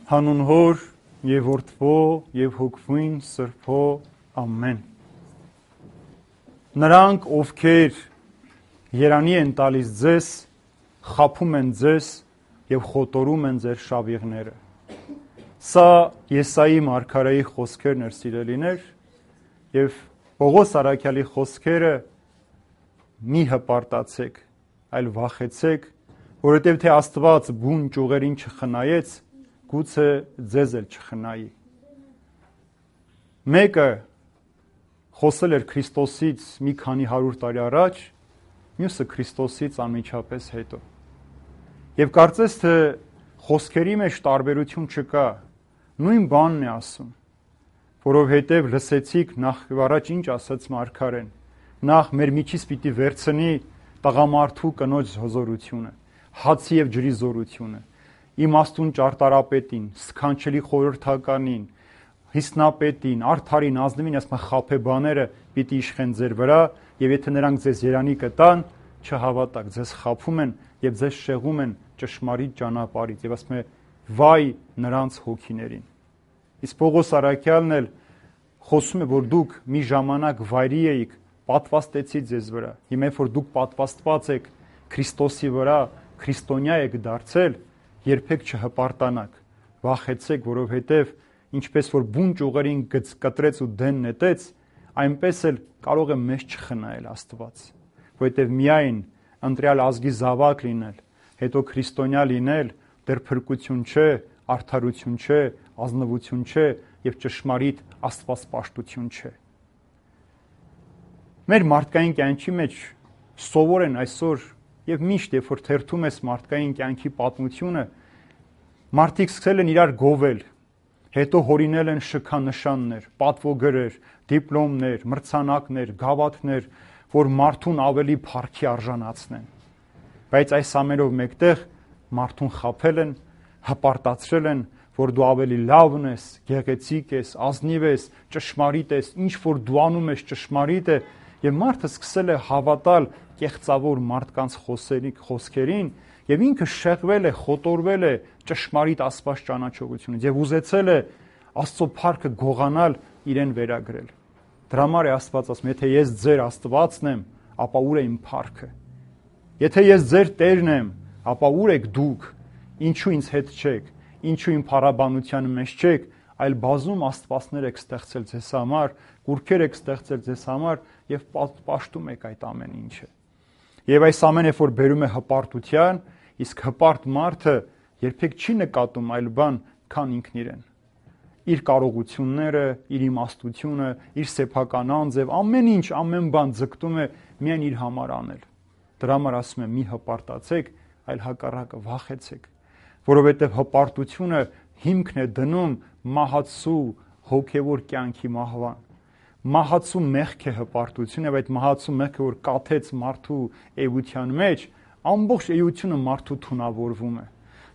Հանուն Հոր եւ Որդվո եւ Հոգվին Սրբո ամեն։ Նրանք, ովքեր երանի են տալիս ձեզ, խաբում են ձեզ եւ խոտորում են ձեր շավիղները։ Սա Եսայի մարգարեի խոսքերն էր, սիրելիներ, եւ Պողոս առաքյալի խոսքերը մի հպարտացեք, այլ վախեցեք, որովհետեւ թե Աստված բուն ճյուղերին չխնայեց, գուցե ձեզ էլ չխնայի։ Մեկը խոսել էր Քրիստոսից մի քանի 100 տարի առաջ, մյուսը Քրիստոսից անմիջապես հետո։ Եվ կարծես թե խոսքերի մեջ տարբերություն չկա, նույն բանն է ասում, որովհետև լսեցիք նախ եւ առաջ ինչ ասաց մարգարեն, նախ մեր միջից պիտի վերցնի տղամարդու կնոջ հզորությունը, հացի եւ ջրի զորությունը, իմաստուն ճարտարապետին, սքանչելի խորհրդականին, հիսնապետին, արդարին, ազնվին, ասում խաբեբաները պիտի իշխեն ձեր վրա, եւ եթե նրանք ձեզ երանի կտան, չհավատաք, ձեզ խաբում են եւ ձեզ շեղում են ճշմարիտ ճանապարհից, եւ ասում է վայ նրանց հոգիներին։ Իսկ Պողոս առաքյալն էլ խոսում է, որ դուք մի ժամանակ վայրի էիք, պատվաստեցի ձեզ վրա։ Հիմա որ դուք պատվաստված եք Քրիստոսի վրա, քրիստոնյա եք դարձել, երբեք չհպարտանաք, վախեցեք, որովհետև ինչպես որ բուն ճյուղերին կտրեց ու դեն նետեց, այնպես էլ կարող է մեզ չխնայել Աստված, որովհետև միայն ընտրյալ ազգի զավակ լինել, հետո քրիստոնյա լինել, դեռ փրկություն չէ, արդարություն չէ, ազնվություն չէ եւ ճշմարիտ աստվածպաշտություն չէ։ Մեր մարդկային կյանքի մեջ սովոր են այսօր եւ միշտ երբ որ թերթում ես մարդկային կյանքի պատմությունը, մարդիկ սկսել են իրար գովել, հետո հորինել են շքանշաններ, պատվոգրեր, դիպլոմներ, մրցանակներ, գավաթներ, որ մարդուն ավելի փառքի արժանացնեն։ Բայց այս ամենով մեկտեղ մարդուն խաբել են, հպարտացրել են, որ դու ավելի լավն ես, գեղեցիկ ես, ազնիվ ես, ճշմարիտ ես, ինչ որ դու անում ես ճշմարիտ է, եւ մարդը սկսել է հավատալ կեղծավոր մարդկանց խոսքերին, եւ ինքը շեղվել է, խոտորվել է ճշմարիտ Աստված ճանաչողությունից եւ ուզեցել է Աստծո փառքը գողանալ, իրեն վերագրել։ Դրա համար է Աստված ասում, եթե ես ձեր Աստվածն եմ, ապա ուր է իմ փառքը։ Եթե ես ձեր Տերն եմ, ապա ուր եք դուք, ինչու ինձ հետ չեք, ինչու իմ փառաբանության մեջ չեք, այլ բազում աստվածներ եք ստեղծել ձեզ համար, կուրքեր եք ստեղծել ձեզ համար եւ պաշտում եք այդ ամեն ինչը։ Եվ այս ամենը որ բերում է հպարտության, իսկ հպարտ մարդը երբեք չի նկատում այլ բան, քան ինքն իրեն։ Իր կարողությունները, իր իմաստությունը, իր սեփական անձև, ամեն ինչ, ամեն բան ձգտում է միայն իր համար անել։ Դրա համար ասում եմ՝ մի հպարտացեք, այլ հակառակը վախեցեք, որովհետև հպարտությունը հիմքն է դնում մահացու հոգևոր կյանքի մահվան։ Մահացու մեղք է հպարտությունը, եւ այդ մահացու մեղքը որ կաթեց մարդու էության մեջ, ամբողջ էությունը մարդու թունավորվում է։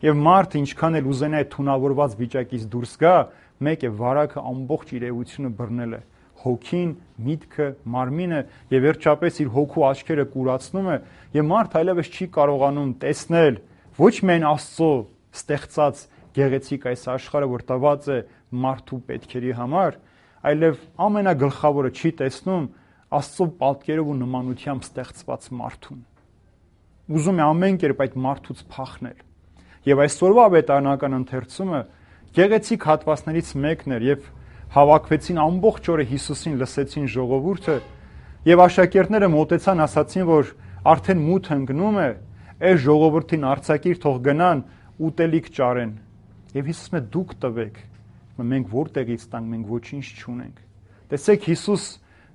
Եվ մարդը ինչքան էլ ուզենա այդ թունավորված վիճակից դուրս գա, մեկ է վարակը ամբողջ իր էությունը բռնել է։ Հոգին, միտքը, մարմինը եւ վերջապես իր հոգու աչքերը կուրացնում է, եւ մարդը այլևս չի կարողանում տեսնել ոչ միայն Աստծո ստեղծած գեղեցիկ այս աշխարհը, որ տված է մարդու պետքերի համար, այլև ամենագլխավորը չի տեսնում Աստծո պատկերով ու նմանությամբ ստեղծված մարդուն։ Ուզում է ամեն կերպ այդ մարդուց փախնել։ Եվ այսօրվա ավետարանական ընթերցումը գեղեցիկ հատվածներից մեկն էր, եւ հավաքվեցին ամբողջ օրը Հիսուսին լսեցին ժողովուրդը, եւ աշակերտները մոտեցան, ասացին, որ արդեն մութ ընկնում է, այս ժողովրդին արձակիր, թող գնան ուտելիք ճարեն։ Եվ Հիսուսն է դուք տվեք։ Մենք որտեղից տանք, մենք ոչինչ չունենք։ Տեսեք Հիսուս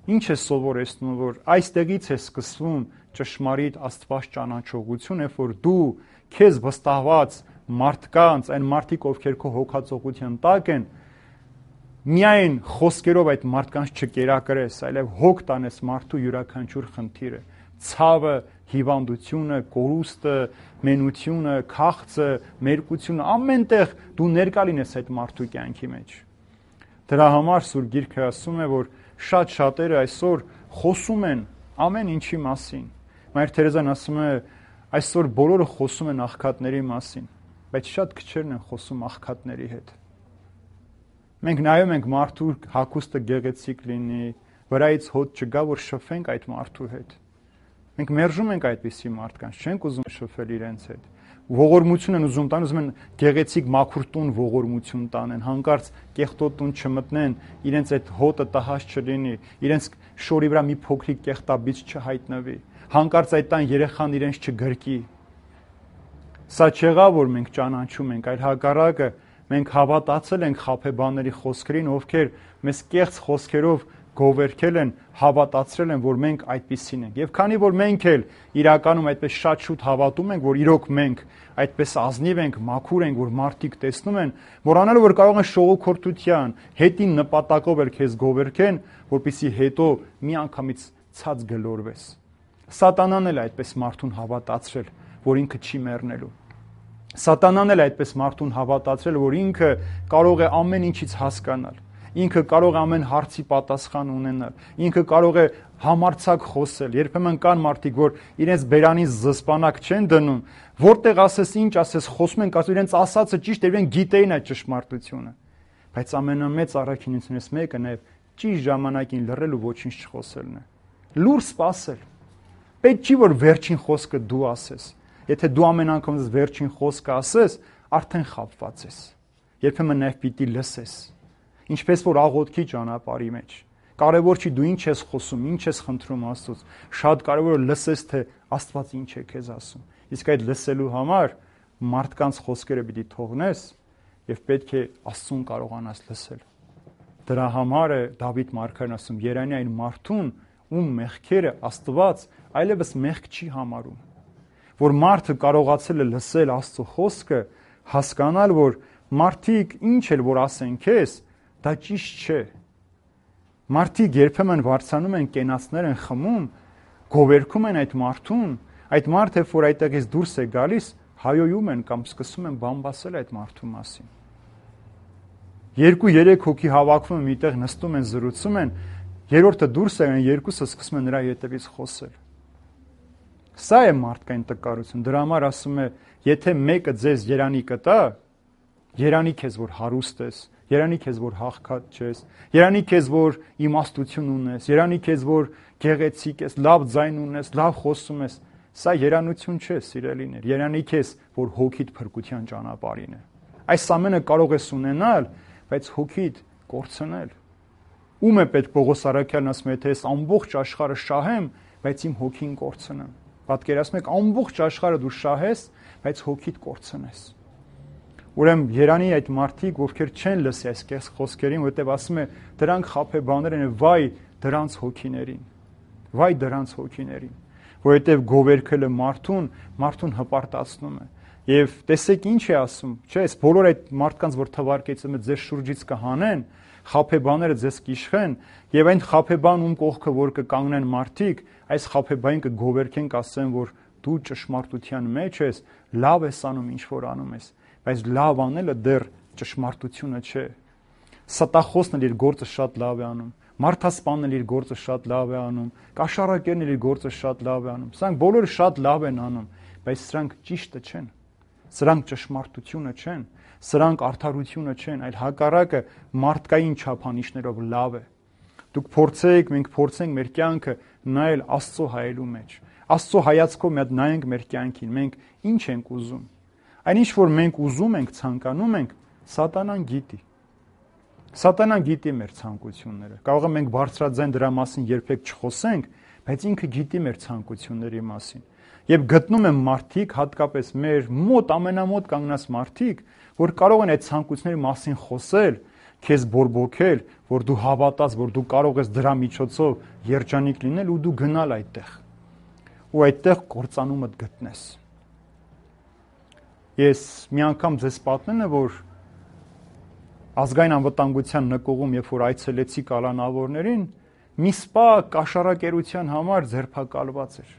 ինչ է սովորեցնում, որ այստեղից է սկսվում ճշմարիտ Աստված ճանաչողությունը, որ դու քեզ վստահված մարդկանց, այն մարդիկ, ովքեր քո հոգածողության տակ են, միայն խոսքերով այդ մարդկանց չկերակրես, այլև հոգ տանես մարդու յուրաքանչյուր խնդիրը, ցավը, հիվանդությունը, կորուստը, մենությունը, քաղցը, մերկությունը, ամենտեղ դու ներկա լինես այդ մարդու կյանքի մեջ։ Դրա համար Սուրբ Գիրքը ասում է, որ շատ շատերը այսօր խոսում են ամեն ինչի մասին։ Մայր Թերեզան ասում է, այսօր բոլորը խոսում են աղքատների մասին։ բայց շատ քչերն են խոսում աղքատների հետ։ Մենք նայում ենք մարդու հագուստը գեղեցիկ լինի, վրայից հոտ չգա, որ շփվենք այդ մարդու հետ։ Մենք մերժում ենք այդպիսի մարդկանց, չենք ուզում շփվել իրենց հետ։ Ողորմություն են ուզում տան, ուզում են գեղեցիկ մաքուր տուն ողորմություն տանեն, հանկարծ կեղտոտուն չմտնեն, իրենց այդ հոտը տհաճ չլինի, իրենց շորի վրա մի փոքրիկ կեղտաբիծ չհայտնվի, հանկարծ այդ տան երեխան իրենց չգրկի։ Սա չեղա, որ մենք ճանաչում ենք, այլ հակառակը մենք հավատացել ենք խաբեբաների խոսքերին, ովքեր մեզ կեղծ խոսքերով գովերքել են, հավատացրել են, որ մենք այդպիսին ենք։ Եվ քանի որ մենք էլ իրականում այդպես շատ շուտ հավատում ենք, որ իրոք մենք այդպես ազնիվ ենք, մաքուր ենք, որ մարդիկ տեսնում են, մոռանալով որ կարող են շողոքորթության, հետին նպատակով էլ քեզ գովերքեն, որպեսզի հետո միանգամից ցած գլորվես։ Սատանան էլ այդպես մարդուն հավատացրել, որ ինքը չի մեռնելու։ Սատանան էլ այդպես մարդուն հավատացրել, որ ինքը կարող է ամեն ինչից հասկանալ։ Ինքը կարող է ամեն հարցի պատասխան ունենալ, ինքը կարող է համարձակ խոսել։ Երբեմն կան մարդիկ, որ իրենց բերանին զսպանակ չեն դնում, որտեղ ասես ինչ ասես, խոսում են, ասում իրենց ասածը ճիշտ է, իրենք գիտեին այդ ճշմարտությունը։ Բայց ամենամեծ առաքինությունից մեկը նաև ճիշտ ժամանակին լռել ու ոչինչ չխոսելն է։ Լուր սпасել։ Պետք չի որ վերջին խոսքը դու ասես։ Եթե դու ամեն անգամ վերջին խոսքը ասես, արդեն խաբված ես։ Երբեմն նաև պիտի լսես։ Ինչպես որ աղոթքի ճանապարհի մեջ։ Կարևոր չի դու ինչ ես խոսում, ինչ ես խնդրում Աստծուց, շատ կարևոր է լսես, թե Աստված ինչ է քեզ ասում։ Իսկ այդ լսելու համար մարդկանց խոսքերը պիտի թողնես եւ պետք է Աստծուն կարողանաս լսել։ Դրա համար է Դավիթ մարգարեն ասում. «Երանի այն մարդուն, ում մեղքերը Աստված այլևս մեղք չի համարում»։ Որ մարդը կարողացել է լսել Աստծո խոսքը, հասկանալ, որ մարդիկ ինչ էլ որ ասեն քեզ, դա ճիշտ չէ։ Մարդիկ երբեմն վարձանում են կենացներ են խմում, գովերքում են այդ մարդուն, այդ մարդը, որ այդտեղից դուրս է գալիս, հայոյում են կամ սկսում են բամբասել այդ մարդու մասին։ 2-3 հոգի հավաքվում են միտեղ նստում են, զրուցում են, երրորդը դուրս է գալիս, երկուսը սկսում են նրա հետևից խոսել։ Սա է մարդկային տկարություն։ Դրա համար ասում է, եթե մեկը ձեզ երանի կտա, երանի քեզ որ հարուստ ես, երանի քեզ որ հաղքատ չես, երանի քեզ որ իմաստություն ունես, երանի քեզ որ գեղեցիկ ես, լավ ձայն ունես, լավ խոսում ես, սա երանություն չէ, սիրելիներ, երանի քեզ որ հոգիդ փրկության ճանապարհին է։ Այս ամենը կարող ես ունենալ, բայց հոգիդ կորցնել։ Ում է պետք Պողոս Արաքյալն ասում է, եթե ես ամբողջ աշխարհը շահեմ, բայց իմ հոգին կորցնեմ։ Պատկերացնում եք, ամբողջ աշխարհը դու շահես, բայց հոգիդ կորցնես։ Ուրեմն երանի այդ մարդիկ, ովքեր չեն լսի այս կեղծ խոսքերին, որտեղ ասում է դրանք խաբեբաներ են, վայ դրանց հոգիներին։ Վայ դրանց հոգիներին, որովհետև գովերքելը մարդուն հպարտացնում է։ Եվ տեսեք ինչ է ասում, չէ՞, այս բոլոր այդ մարդկանց, որ թվարկեցում է ձեր շուրջից կհանեն, խաբեբաները ձեզ կիշխեն, եւ այն խաբեբան ում կողքը որ կկանգնեն մարդիկ, այս խաբեբային կգովերքեն, կասեն, որ դու ճշմարտության մեջ ես, լավ ես անում, ինչ որ անում ես, բայց լավ անելը դեռ ճշմարտությունը չէ։ Ստախոսն իր գործը շատ լավ է անում, մարդասպանն իր գործը շատ լավ է անում, կաշառակերն իր գործը շատ լավ է անում։ Սրանք բոլորը շատ լավ են անում, բայց սրանք ճիշտը չեն։ Սրանք ճշմարտությունը չեն, սրանք արդարությունը չեն, այլ հակառակը մարդկային չափանիշներով լավ է։ Դուք փորձեք, մենք փորձենք մեր կյանքը նայել Աստծո հայելու մեջ։ Աստծո հայացքով մի հատ նայենք մեր կյանքին, մենք ինչ ենք ուզում։ Այնինչ որ մենք ուզում ենք, ցանկանում ենք, Սատանան գիտի։ Սատանան գիտի մեր ցանկությունները։ Կարող է մենք բարձրաձայն դրա մասին երբեք չխոսենք, բայց ինքը գիտի մեր ցանկությունների մասին։ Եվ գտնում են մարդիկ, հատկապես մեր մոտ ամենամոտ կանգնած մարդիկ, որ կարող են այդ ցանկությունների մասին խոսել, քեզ բորբոքել, որ դու հավատաս, որ դու կարող ես դրա միջոցով երջանիկ լինել ու դու գնալ այդտեղ։ Ու այդտեղ կործանումդ գտնես։ Ես մի անգամ ձեզ պատմեմ, որ ազգային անվտանգության նկողում, երբ որ այցելեցի կալանավորներին, մի սպա կաշառակերության համար ձերբակալված էր։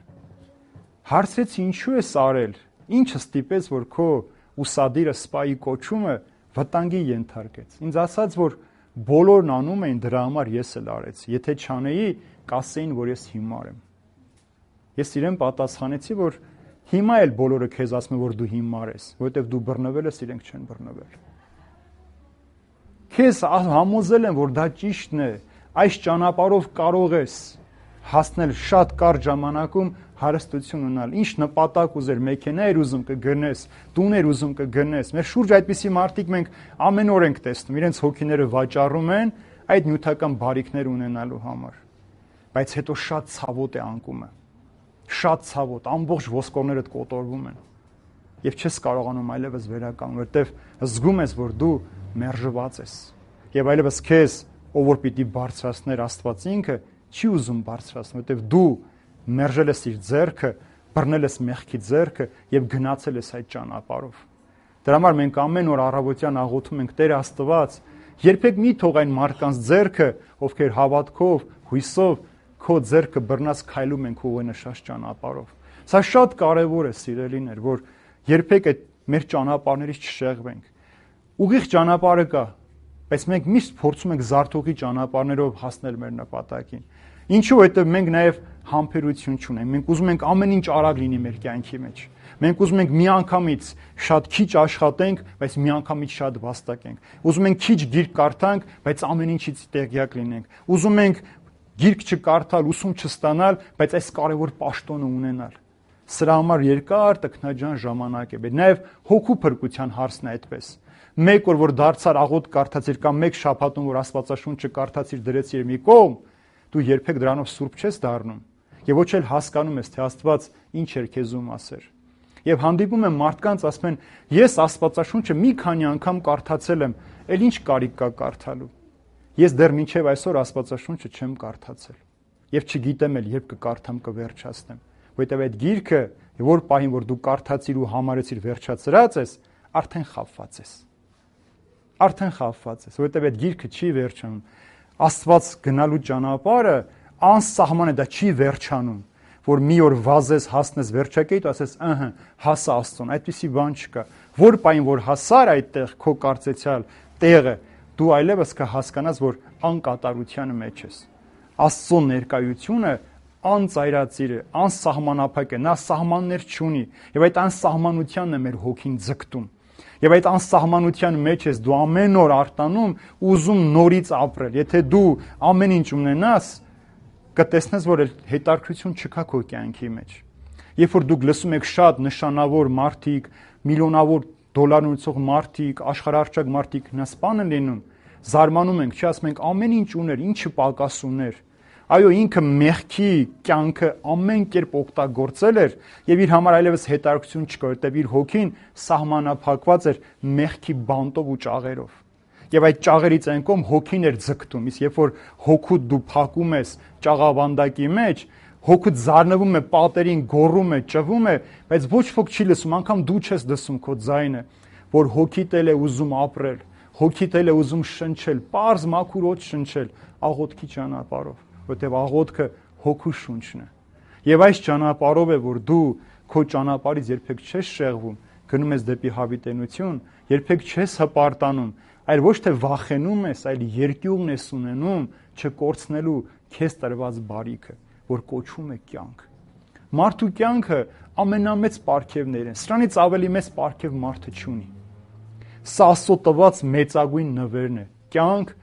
Հարցրեցի ինչու ես արել, ինչը ստիպեց, որ քո ուսադիրը սպայի կոչումը վտանգի ենթարկեց։ Ինձ ասաց, որ բոլորն անում էին, դրա համար ես էլ արեցի։ Եթե չանեի, կասեին, որ ես հիմար եմ։ Ես իրեն պատասխանեցի, որ Հիմա էլ բոլորը քեզ ասում են, որ դու հիմար ես, որովհետև դու բռնվել ես, իրենք չեն բռնվել։ Քեզ համոզել են, որ դա ճիշտն է, այս ճանապարհով կարող ես հասնել շատ կարճ ժամանակում հարստություն ունենալ։ Ինչ նպատակ ուզեր, մեքենա էր ուզում կգնես, տուն էր ուզում կգնես։ Մեր շուրջ այդպիսի մարդիկ մենք ամեն օր ենք տեսնում, իրենց հոգիները վաճառում են այդ նյութական բարիքներ ունենալու համար։ Բայց հետո շատ ցավոտ է անկումը։ Շատ ցավոտ, ամբողջ ոսկորներդ կոտորվում են։ Եվ չես կարողանում այլևս վերականգնել, որտեվ զգում ես, որ դու մերժված ես։ Եվ այլևս քեզ, ով որ պիտի բարձրացներ Աստված ինքը, չի ուզում բարձրացնել, որտեվ դու մերժել ես իր ձեռքը, բռնել ես մեղքի ձեռքը եւ գնացել ես այդ ճանապարհով։ Դրա համար մենք ամեն օր առավոտյան աղոթում ենք Տեր Աստված, երբեք մի թող այն մարդկանց ձեռքը, ովքեր հավատքով, հույսով քո ձեռքը բռնած քայլում են քո ուղենշած ճանապարհով։ Սա շատ կարևոր է, սիրելիներ, որ երբեք այդ մեր ճանապարհներից չշեղվենք։ Ուղիղ ճանապարհը կա, բայց մենք միշտ փորձում ենք զարթողի ճանապարհներով հասնել մեր նպատակին։ Ինչու՞, որովհետև մենք նաև համբերություն չունենք։ Մենք ուզում ենք ամեն ինչ արագ լինի մեր կյանքի մեջ։ Մենք ուզում ենք միանգամից շատ քիչ աշխատենք, բայց միանգամից շատ վաստակենք։ Ուզում ենք քիչ գիրք կարդանք, բայց ամեն ինչից տեղյակ լինենք։ Ուզում ենք գիրք չկարդալ, ուսում չստանալ, բայց այս կարևոր պաշտոնը ունենալ։ Սրա համար երկար տքնաջան ժամանակ է։ Նաև հոգու փրկության հարցն է այդպես։ Մեկ օր որ դարձար աղոտ կարդացիր կամ մեկ շաբաթում որ Աստվածաշունչը կարդացիր դրեցիր մի կողմ, դու երբեք դրանով սուրբ չես դառնում եւ ոչ էլ հասկանում ես թե Աստված ինչ էր քեզում ասեր։ Եվ հանդիպում եմ մարդկանց ասում են ես Աստվածաշունչը մի քանի անգամ կարդացել եմ, ել ինչ կարիք կա կարդալու։ Ես դեռ մինչև այսօր Աստվածաշունչը չեմ կարդացել եւ չգիտեմ էլ երբ կկարդամ կվերջացնեմ, որովհետեւ այդ գիրքը որ պահին որ դու կարդացիր ու համարեցիր վերջացրած ես, արդեն խաբված ես։ Արդեն խաբված ես, որովհետեւ այդ գիրքը չի վերջանում։ Աստված գնալու ճանապարհը անսահման է, դա չի վերջանում, որ մի օր վազես, հասնես վերջակետ, ասես, հասա Աստծուն, այդպիսի բան չկա։ Որ պայն որ հասար այդտեղ քո կարծեցյալ տեղը, դու այլևս կհասկանաս, որ անկատարության մեջ ես։ Աստծո ներկայությունը անծայրածիր է, անսահմանափակ է, նա սահմաններ չունի, եւ այդ անսահմանությանն է մեր հոգին ձգտում։ Եվ այդ անսահմանության մեջ ես դու ամեն օր արտանում ուզում նորից ապրել։ Եթե դու ամեն ինչ ունենաս, կտեսնես, որ հետաքրքրություն չկա քո կյանքի մեջ։ Երբ որ դուք լսում եք շատ նշանավոր մարդիկ, միլիոնավոր դոլար ունեցող մարդիկ, աշխարհարչակ մարդիկ հնասպան են լինում, զարմանում ենք, չի ասում ենք ամեն ինչ ուներ, ինչը պակաս ուներ։ Այո, ինքը մեղքի կյանքը ամեն կերպ օգտագործել էր եւ իր համար այլևս հետաքրքրություն չկար, որտեղ իր հոգին սահմանափակված էր մեղքի բանտով ու ճաղերով։ Եվ այդ ճաղերից այն կողմ հոգին էր ձգտում, իսկ երբ որ հոգուդ դու փակում ես ճաղավանդակի մեջ, հոգուդ զարնվում է, պատերին գոռում է, ճվում է, բայց ոչ ոք չի լսում, անգամ դու չես լսում քո ձայնը, որ հոգիդ էլ է ուզում ապրել, հոգիդ էլ է ուզում շնչել, պարզ մաքուր օդ շնչել աղոթքի ճանապարհով, որտեղ աղոթքը հոգու շունչն է։ Եվ այս ճանապարհով է, որ դու քո ճանապարհից երբեք չես շեղվում, գնում ես դեպի հավիտենություն, երբեք չես հպարտանում, այլ ոչ թե վախենում ես, այլ երկյուղն ես ունենում չկորցնելու քեզ տրված բարիքը, որ կոչվում է կյանք։ Մարդու կյանքը ամենամեծ պարգևներն են, սրանից ավելի մեծ պարգև մարդը չունի։ Սա Աստծո տված մեծագույն նվերն է, կյանք,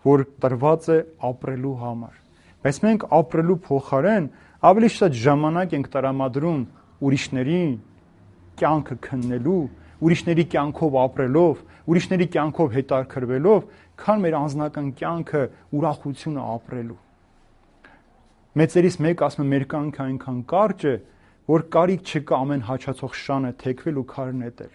որ տրված է ապրելու համար։ Բայց մենք ապրելու փոխարեն ավելի շատ ժամանակ ենք տրամադրում ուրիշների կյանքը քննելու, ուրիշների կյանքով ապրելով, ուրիշների կյանքով հետաքրքրվելով, քան մեր անձնական կյանքը ուրախությունը ապրելու։ Մեծերից մեկ ասում է մեր կյանքը այնքան կարճ է, որ կարիք չկա ամեն հաչացող շանը թեքվել ու քար նետել։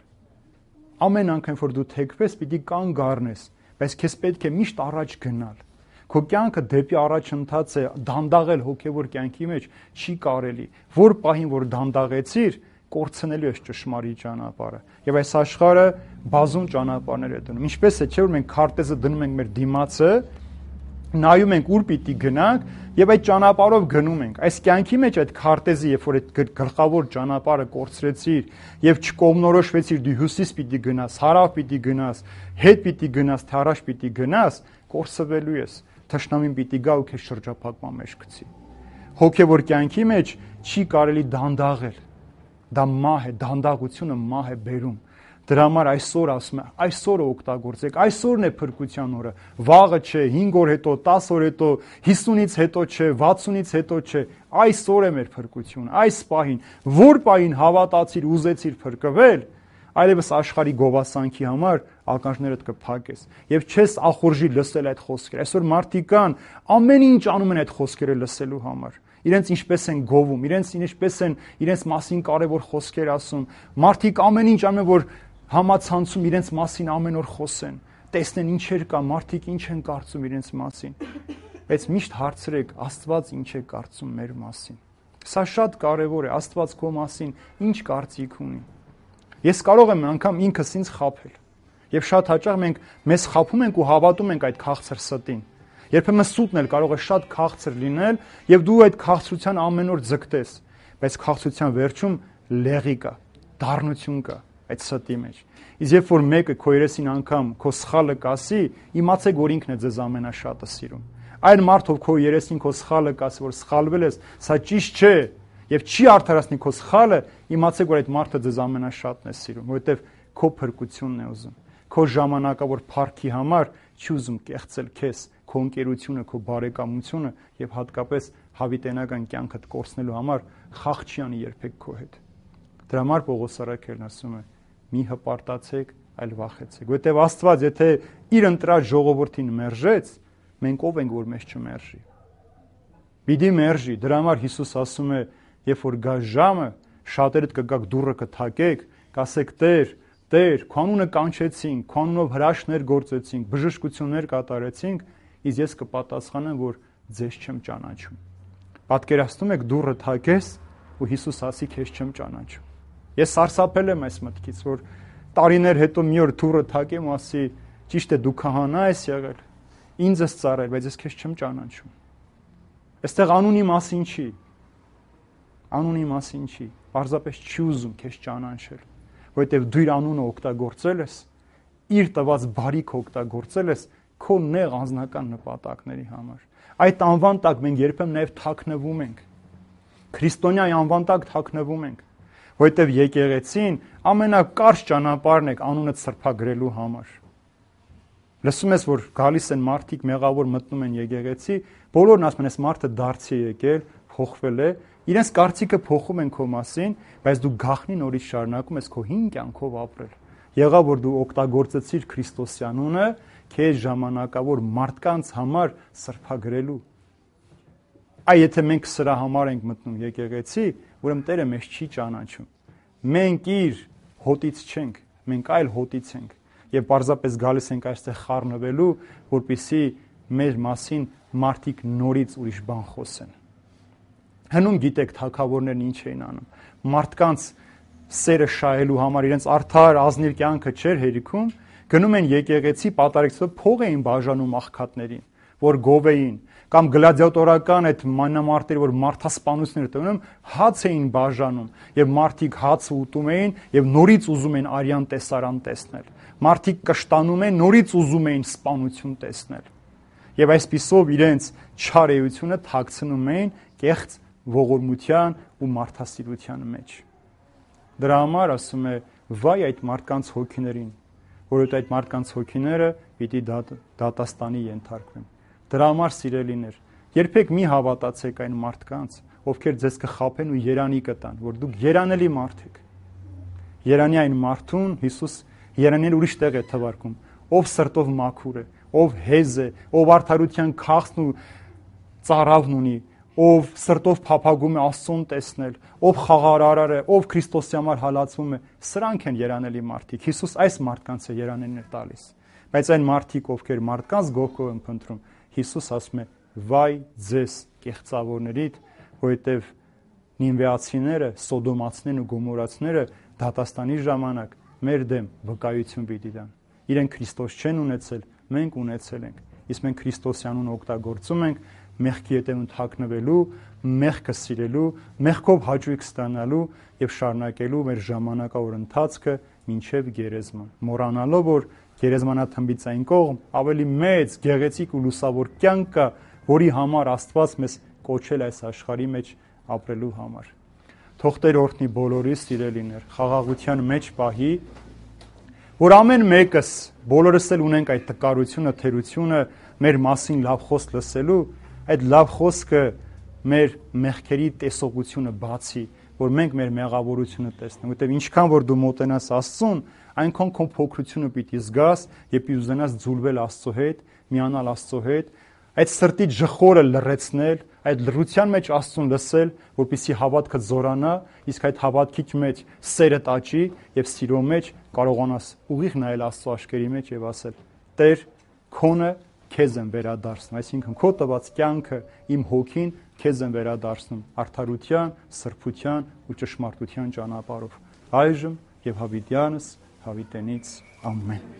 Ամեն անգամ որ դու թեքվես, պիտի կանգ առնես, բայց քեզ պետք է միշտ առաջ գնալ։ Քո կյանքը դեպի առաջընթաց է, դանդաղել հոգևոր կյանքի մեջ չի կարելի։ Որ պահին որ դանդաղեցիր, կորցնելու ես ճշմարիտ ճանապարհը։ Եվ այս աշխարհը բազում ճանապարհներ է դնում։ Ինչպես է, չէ՞ որ մենք քարտեզը դնում ենք մեր դիմացը, նայում ենք ուր պիտի գնանք եւ այդ ճանապարհով գնում ենք։ Այս կյանքի մեջ այդ քարտեզը, երբ որ այդ գլխավոր ճանապարհը կորցրեցիր եւ չկողմնորոշվեցիր դու հյուսիս պիտի գնաս, հարավ պիտի գնաս, հետ պիտի գնաս, թե առաջ պիտի գնաս, կորսվելու ես։ Թշնամին պիտի գա ու քեզ շրջափակման մեջ գցի։ Հոգևոր կյանքի մեջ չի կարելի դանդաղել։ Դա մահ է, դանդաղությունը մահ է բերում։ Դրա համար այսօր ասում է, այսօրը օգտագործեք, այսօրն է փրկության օրը։ Վաղը չէ, 5 օր հետո, 10 օր հետո, 50-ից հետո չէ, 60-ից հետո չէ։ Այսօր է մեր փրկությունը, այս պահին, որ պահին հավատացիր, ուզեցիր փրկվել, այլևս աշխարհի գովասանքի համար ականջներդ կփակես եւ չես ախորժի լսել այդ խոսքերը։ Այսօր մարդիկ կան, ամեն ինչ անում են այդ խոսքերը լսելու համար։ Իրենց ինչպես են գովում, ինչպես են իրենց մասին կարևոր խոսքեր ասում։ Մարդիկ ամեն ինչ անում են, որ համացանցում իրենց մասին ամեն օր խոսեն, տեսնեն ինչեր կա, մարդիկ ինչ են կարծում իրենց մասին։ Բայց միշտ հարցրեք, Աստված ինչ է կարծում մեր մասին։ Սա շատ կարևոր է, Աստված քո մասին ինչ կարծիք ունի։ Ես կարող եմ անգամ ինքս ինձ խաբել։ Եվ շատ հաճախ մենք մեզ խաբում ենք ու հավատում ենք այդ քաղցր ստին։ Երբեմն սուտն էլ կարող է շատ քաղցր լինել, եւ դու այդ քաղցրության ամեն օր ձգտես, բայց քաղցրության վերջում լեղի կա, դառնություն կա այդ ստի մեջ։ Իսկ երբ որ մեկը քո երեսին անգամ քո սխալը կասի, իմացեք, որ ինքն է ձեզ ամենաշատը սիրում։ Այն մարդը, ով քո երեսին քո սխալը կասի, որ սխալվել ես, սա ճիշտ չէ, եւ չի արդարացնի քո սխալը, իմացեք, որ այդ մարդը ձեզ ամենաշատն է սիրում, որովհետեւ քո փրկությունն է ուզում։ Քո ժամանակավոր փառքի համար չի ուզում կեղծել քեզ, քո ընկերությունը, քո բարեկամությունը եւ հատկապես հավիտենական կյանքդ կորցնելու համար խաղ չի անի երբեք քո հետ։ Դրա համար Պողոս առաքելն ասում է. մի հպարտացեք, այլ վախեցեք, որովհետեւ Աստված եթե իր ընտրած ժողովրդին մերժեց, մենք ով ենք, որ մեզ չմերժի։ Պիտի մերժի։ Դրա համար Հիսուս ասում է, երբ որ գա ժամը, շատերդ կգաք դուռը կթակեք, կասեք Տեր, Տեր, քո անունը կանչեցինք, քո անունով հրաշքներ գործեցինք, բժշկություններ կատարեցինք, իսկ ես կպատասխանեմ, որ ձեզ չեմ ճանաչում։ Պատկերացնում եք դուռը թակես ու Հիսուս ասի քեզ չեմ ճանաչում։ Ես սարսափել եմ այս մտքից, որ տարիներ հետո մի օր դուռը թակեմ ու ասի, ճիշտ է, դու քահանա ես եղել, ինձ ես ծառայել, բայց ես քեզ չեմ ճանաչում։ Այստեղ անունի մասին չի։ Անունի մասին չի։ Պարզապես չի ուզում քեզ ճանաչել, որովհետև դու իր անունը օգտագործել ես, իր տված բարիքը օգտագործել ես քո նեղ անձնական նպատակների համար։ Այդ անվան տակ մենք երբեմն նաև թաքնվում ենք։ Քրիստոնյայի անվան տակ թաքնվում ենք, որովհետև եկեղեցին ամենակարճ ճանապարհն է անունը սրբագրելու համար։ Լսում ես, որ գալիս են մարդիկ մեղավոր մտնում են եկեղեցի, բոլորն ասում են, այս մարդը դարձի է եկել, փոխվել է, իրենց կարծիքը փոխում են քո մասին, բայց դու գաղտնի նորից շարունակում ես քո հին կյանքով ապրել։ Եղավ որ դու օգտագործեցիր Քրիստոսի անունը քեզ ժամանակավոր մարդկանց համար սրբագրելու։ Այ եթե մենք սրա համար ենք մտնում եկեղեցի, ուրեմն Տերը մեզ չի ճանաչում։ Մենք իր հոտից չենք, մենք այլ հոտից ենք։ Եվ պարզապես գալիս ենք այստեղ խառնվելու, որպեսզի մեր մասին մարդիկ նորից ուրիշ բան խոսեն։ Հնում գիտեք թագավորներն ինչ էին անում։ Մարդկանց սերը շահելու համար իրենց արդար ազնիվ կյանքը չէր հերիքում, գնում են եկեղեցի պատարեկցով փող էին բաժանում աղքատներին, որ գովեին, կամ գլադիատորական այդ մանրամարտերը, որ մարդասպանություններ տանում, հաց էին բաժանում, եւ մարդիկ հացը ուտում էին եւ նորից ուզում էին արյան տեսարան տեսնել։ Մարդիկ կշտանում են, նորից ուզում էին սպանություն տեսնել։ Եվ այսպիսով իրենց չարեությունը թաքցնում էին կեղծ ողորմության ու մարդասիրության մեջ։ Դրա համար ասում է, վայ այդ մարդկանց հոգիներին, որովհետև այդ մարդկանց հոգիները պիտի դատաստանի ենթարկվեն։ Դրա համար սիրելիներ, երբեք մի հավատացեք այն մարդկանց, ովքեր ձեզ կխաբեն ու երանի կտան, որ դուք երանելի մարդ եք։ Երանի այն մարդուն Հիսուս երանել ուրիշ տեղ է թվարկում, ով սրտով մաքուր է, ով հեզ է, ով արդարության քաղցն ու ծառավն ունի, ով սրտով փափագում է Աստծուն տեսնել, ով խաղարարար է, ով Քրիստոսի համար հալածվում է, սրանք են երանելի մարդիկ։ Հիսուս այս մարդկանց է երանելներ տալիս։ Բայց այն մարդիկ, ովքեր մարդկանց գողքով են փնտրում, Հիսուս ասում է. «Վայ ձեզ կեղծավորներիդ, որովհետև նինվեացիները, սոդոմացիներն ու գոմորացիները դատաստանի ժամանակ մեր դեմ վկայություն պիտի տան։ Իրենք Քրիստոս չեն ունեցել, մենք ունեցել ենք։ Իսկ մենք Քրիստոսի անունը օգտագործում ենք մեղքի ետևում թաքնվելու, մեղքը սիրելու, մեղքով հաճույք ստանալու եւ շարունակելու մեր ժամանակավոր ընթացքը մինչեւ գերեզման, մոռանալով, որ գերեզմանաթմբից այն կողմ ավելի մեծ, գեղեցիկ ու լուսավոր կյանք կա, որի համար Աստված մեզ կոչել այս աշխարհի մեջ ապրելու համար։ թող Տեր օրհնի բոլորիս սիրելիներ, խաղաղության մեջ պահի, որ ամեն մեկս, բոլորս էլ ունենք այդ տկարությունը, թերությունը մեր մասին լավ խոսք լսելու, այդ լավ խոսքը մեր մեղքերի տեսողությունը բացի, որ մենք մեր մեղավորությունը տեսնենք, որտեղ ինչքան որ դու մոտենաս Աստծուն, այնքան քո փոքրությունը պիտի զգաս եւ պիտի ուզենաս ձուլվել Աստծո հետ, միանալ Աստծո հետ, այդ սրտի ջխորը լրացնել, այդ լրության մեջ Աստծուն լսել, որպեսզի հավատքը զորանա, իսկ այդ հավատքի մեջ սերը աճի եւ սիրո մեջ կարողանաս ուղիղ նայել Աստծո աշկերի մեջ եւ ասել. Տեր, քոնը քեզ եմ վերադարձնում, այսինքն քո տված կյանքը, իմ հոգին քեզ եմ վերադարձնում արդարության, սրբության ու ճշմարտության ճանապարհով։ Այժմ եւ հավիտյանս հավիտենից ամեն։